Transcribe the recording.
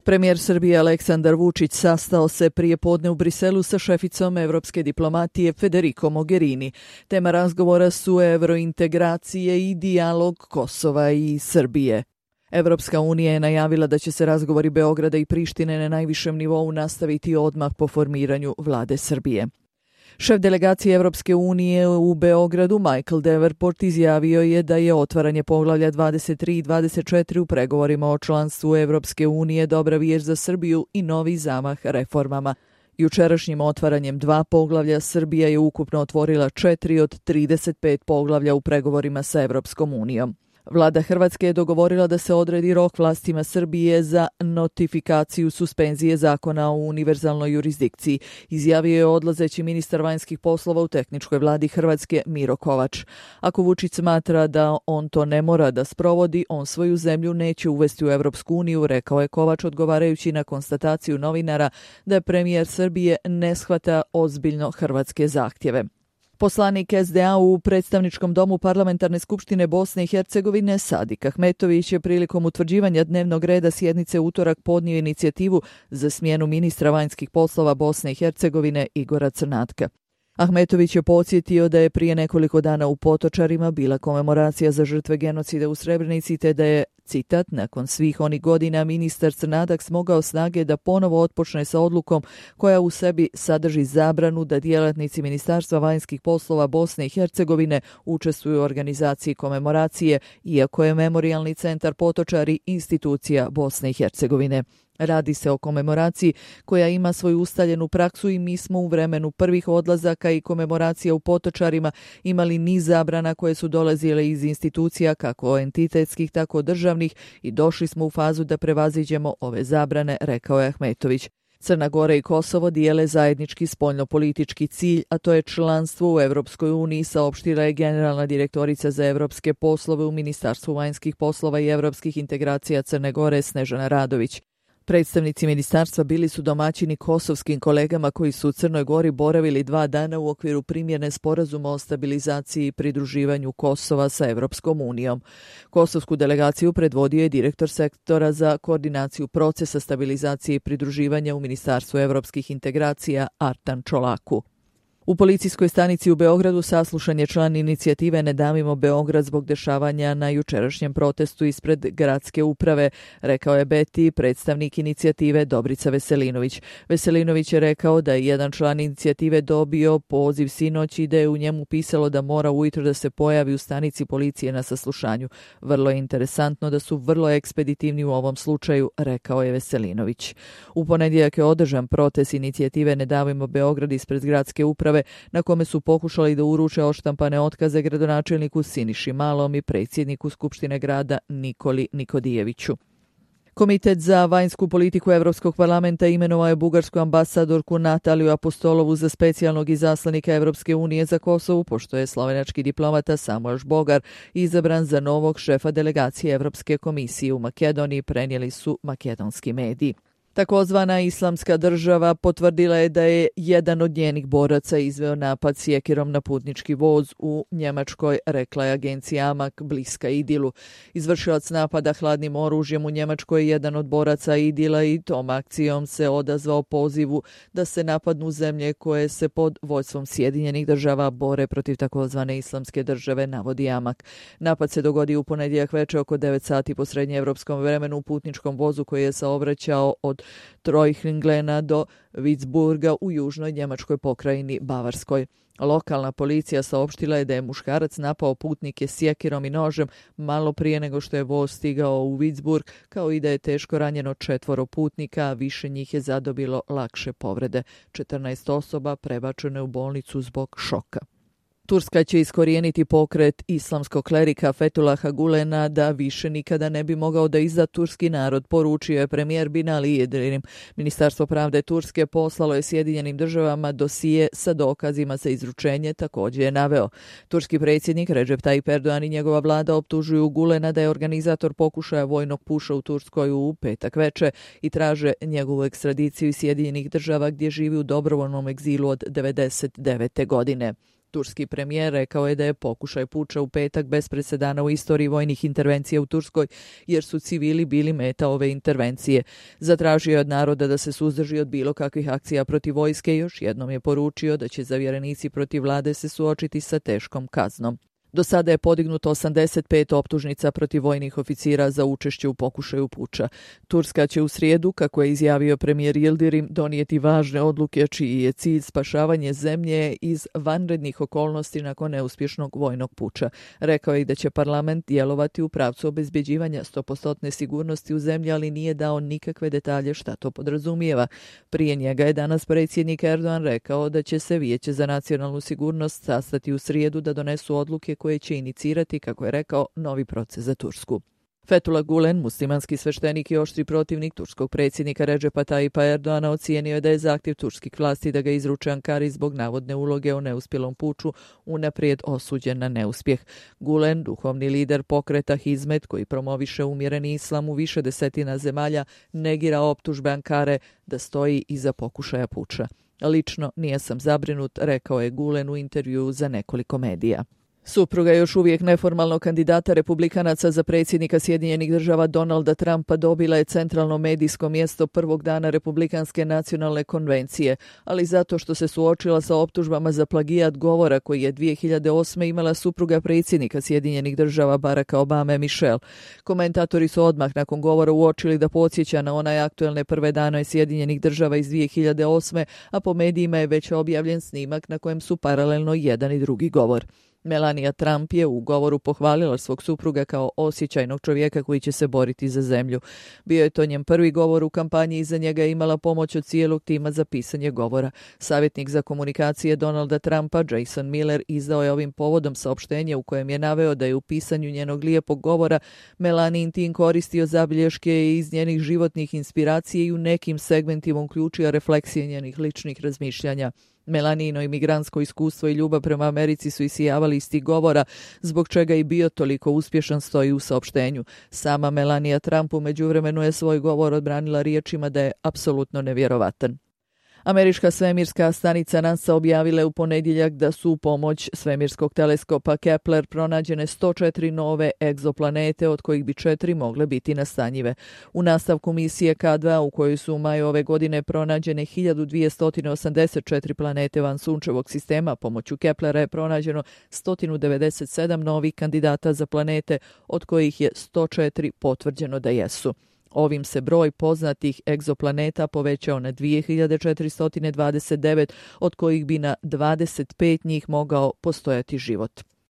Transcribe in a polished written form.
Premijer Srbije Aleksandar Vučić sastao se prije podne u Briselu sa šeficom evropske diplomatije Federico Mogherini. Tema razgovora su evrointegracije i dijalog Kosova i Srbije. Evropska unija je najavila da će se razgovori Beograda i Prištine na najvišem nivou nastaviti odmah po formiranju vlade Srbije. Šef delegacije Evropske unije u Beogradu Michael Davenport izjavio je da je otvaranje poglavlja 23 i 24 u pregovorima o članstvu Evropske unije dobra vijest za Srbiju i novi zamah reformama. Jučerašnjim otvaranjem 2 poglavlja Srbija je ukupno otvorila 4 od 35 poglavlja u pregovorima sa Evropskom unijom. Vlada Hrvatske je dogovorila da se odredi rok vlastima Srbije za notifikaciju suspenzije zakona o univerzalnoj jurisdikciji, izjavio je odlazeći ministar vanjskih poslova u tehničkoj vladi Hrvatske Miro Kovač. Ako Vučić smatra da on to ne mora da sprovodi, on svoju zemlju neće uvesti u Evropsku uniju, rekao je Kovač odgovarajući na konstataciju novinara da premijer Srbije ne shvata ozbiljno hrvatske zahtjeve. Poslanik SDA u predstavničkom domu Parlamentarne skupštine Bosne i Hercegovine Sadik Ahmetović je prilikom utvrđivanja dnevnog reda sjednice utorak podnio inicijativu za smjenu ministra vanjskih poslova Bosne i Hercegovine Igora Crnatka. Ahmetović je podsjetio da je prije nekoliko dana u Potočarima bila komemoracija za žrtve genocida u Srebrenici te da je, citat, nakon svih onih godina ministar Crnadak smogao snage da ponovo otpočne sa odlukom koja u sebi sadrži zabranu da djelatnici Ministarstva vanjskih poslova Bosne i Hercegovine učestvuju u organizaciji komemoracije, iako je Memorijalni centar Potočari institucija Bosne i Hercegovine. Radi se o komemoraciji koja ima svoju ustaljenu praksu i mi smo u vremenu prvih odlazaka i komemoracija u Potočarima imali niz zabrana koje su dolazile iz institucija kako entitetskih tako državnih i došli smo u fazu da prevaziđemo ove zabrane, rekao je Ahmetović. Crna Gora i Kosovo dijele zajednički spoljnopolitički cilj, a to je članstvo u Evropskoj uniji, saopštila je generalna direktorica za evropske poslove u Ministarstvu vanjskih poslova i evropskih integracija Crne Gore Snežana Radović. Predstavnici ministarstva bili su domaćini kosovskim kolegama koji su u Crnoj Gori boravili 2 dana u okviru primjene sporazuma o stabilizaciji i pridruživanju Kosova sa Evropskom unijom. Kosovsku delegaciju predvodio je direktor sektora za koordinaciju procesa stabilizacije i pridruživanja u Ministarstvu evropskih integracija Artan Čolaku. U policijskoj stanici u Beogradu saslušan je član inicijative Ne davimo Beograd zbog dešavanja na jučerašnjem protestu ispred gradske uprave, rekao je Beti, predstavnik inicijative Dobrica Veselinović. Veselinović je rekao da je jedan član inicijative dobio poziv sinoć i da je u njemu pisalo da mora ujutro da se pojavi u stanici policije na saslušanju. Vrlo je interesantno da su vrlo ekspeditivni u ovom slučaju, rekao je Veselinović. U ponedjeljak je održan protest inicijative Ne davimo Beograd ispred gradske uprave na kome su pokušali da uruče odštampane otkaze gradonačelniku Siniši Malom i predsjedniku Skupštine grada Nikoli Nikodijeviću. Komitet za vanjsku politiku Evropskog parlamenta imenovao je bugarsku ambasadorku Nataliju Apostolovu za specijalnog izaslanika Evropske unije za Kosovo, pošto je slovenački diplomata Samuel Žbogar izabran za novog šefa delegacije Evropske komisije u Makedoniji, prenijeli su makedonski mediji. Takozvana Islamska država potvrdila je da je jedan od njenih boraca izveo napad sjekirom na putnički voz u Njemačkoj, rekla je agencija Amak, bliska Idilu. Izvršilac napada hladnim oružjem u Njemačkoj je jedan od boraca Idila i tom akcijom se odazvao pozivu da se napadnu zemlje koje se pod vođstvom Sjedinjenih država bore protiv takozvane Islamske države, navodi Amak. Napad se dogodio u ponedjeljak večer oko 9 sati po srednjeevropskom vremenu u putničkom vozu koji je saobraćao od Trojhlingena do Witzburga u južnoj njemačkoj pokrajini Bavarskoj. Lokalna policija saopštila je da je muškarac napao putnike sjekirom i nožem malo prije nego što je voz stigao u Witzburg, kao i da je teško ranjeno 4 putnika, a više njih je zadobilo lakše povrede. 14 osoba prebačeno je u bolnicu zbog šoka. Turska će iskorijeniti pokret islamskog klerika Fethullaha Gulena da više nikada ne bi mogao da izda turski narod, poručio je premijer Binali Yildirim. Ministarstvo pravde Turske poslalo je Sjedinjenim državama dosije sa dokazima za izručenje, također je naveo. Turski predsjednik Recep Tayyip Erdogan i njegova vlada optužuju Gulena da je organizator pokušaja vojnog puša u Turskoj u petak večer i traže njegovu ekstradiciju iz Sjedinjenih država gdje živi u dobrovoljnom egzilu od 1999. godine. Turski premijer rekao je da je pokušaj puča u petak bez presedana u istoriji vojnih intervencija u Turskoj, jer su civili bili meta ove intervencije. Zatražio je od naroda da se suzdrži od bilo kakvih akcija protiv vojske i još jednom je poručio da će zavjerenici protiv vlade se suočiti sa teškom kaznom. Do sada je podignuto 85 optužnica protiv vojnih oficira za učešće u pokušaju puča. Turska će u srijedu, kako je izjavio premijer Yildirim, donijeti važne odluke čiji je cilj spašavanje zemlje iz vanrednih okolnosti nakon neuspješnog vojnog puča. Rekao je i da će parlament djelovati u pravcu obezbjeđivanja 100% sigurnosti u zemlji, ali nije dao nikakve detalje šta to podrazumijeva. Prije njega je danas predsjednik Erdogan rekao da će se Vijeće za nacionalnu sigurnost sastati u srijedu da donesu odluke koje će inicirati, kako je rekao, novi proces za Tursku. Fethullah Gulen, muslimanski sveštenik i oštri protivnik turskog predsjednika Redžepa Tayyipa Erdoana, ocijenio je da je zahtjev turskih vlasti da ga izruče Ankari zbog navodne uloge u neuspjelom puču unaprijed osuđen na neuspjeh. Gulen, duhovni lider pokreta Hizmet, koji promoviše umjereni islam u više desetina zemalja, negira optužbe Ankare da stoji iza pokušaja puča. Lično nije sam zabrinut, rekao je Gulen u intervjuu za nekoliko medija. Supruga još uvijek neformalnog kandidata republikanaca za predsjednika Sjedinjenih Država Donalda Trumpa dobila je centralno medijsko mjesto prvog dana Republikanske nacionalne konvencije, ali zato što se suočila sa optužbama za plagijat govora koji je 2008. imala supruga predsjednika Sjedinjenih Država Baracka Obame, Michelle. Komentatori su odmah nakon govora uočili da podsjeća na onaj aktuelne prve dane Sjedinjenih Država iz 2008. a po medijima je već objavljen snimak na kojem su paralelno jedan i drugi govor. Melania Trump je u govoru pohvalila svog supruga kao osjećajnog čovjeka koji će se boriti za zemlju. Bio je to njen prvi govor u kampanji i za njega je imala pomoć od cijelog tima za pisanje govora. Savjetnik za komunikacije Donalda Trumpa, Jason Miller, izdao je ovim povodom saopštenje u kojem je naveo da je u pisanju njenog lijepog govora Melanin tim koristio zabilješke iz njenih životnih inspiracija i u nekim segmentima uključio refleksije njenih ličnih razmišljanja. Melanino imigrantsko iskustvo i ljubav prema Americi su isijavali iz tih govora, zbog čega je bio toliko uspješan, stoji u saopštenju. Sama Melania Trump u međuvremenu je svoj govor odbranila riječima da je apsolutno nevjerovatan. Američka svemirska stanica NASA objavila je u ponedjeljak da su u pomoć svemirskog teleskopa Kepler pronađene 104 nove egzoplanete, od kojih bi 4 mogle biti nastanjive. U nastavku misije K2, u kojoj su u maju ove godine pronađene 1284 planete van sunčevog sistema, pomoću Keplera je pronađeno 197 novih kandidata za planete, od kojih je 104 potvrđeno da jesu. Ovim se broj poznatih egzoplaneta povećao na 2429, od kojih bi na 25 njih mogao postojati život.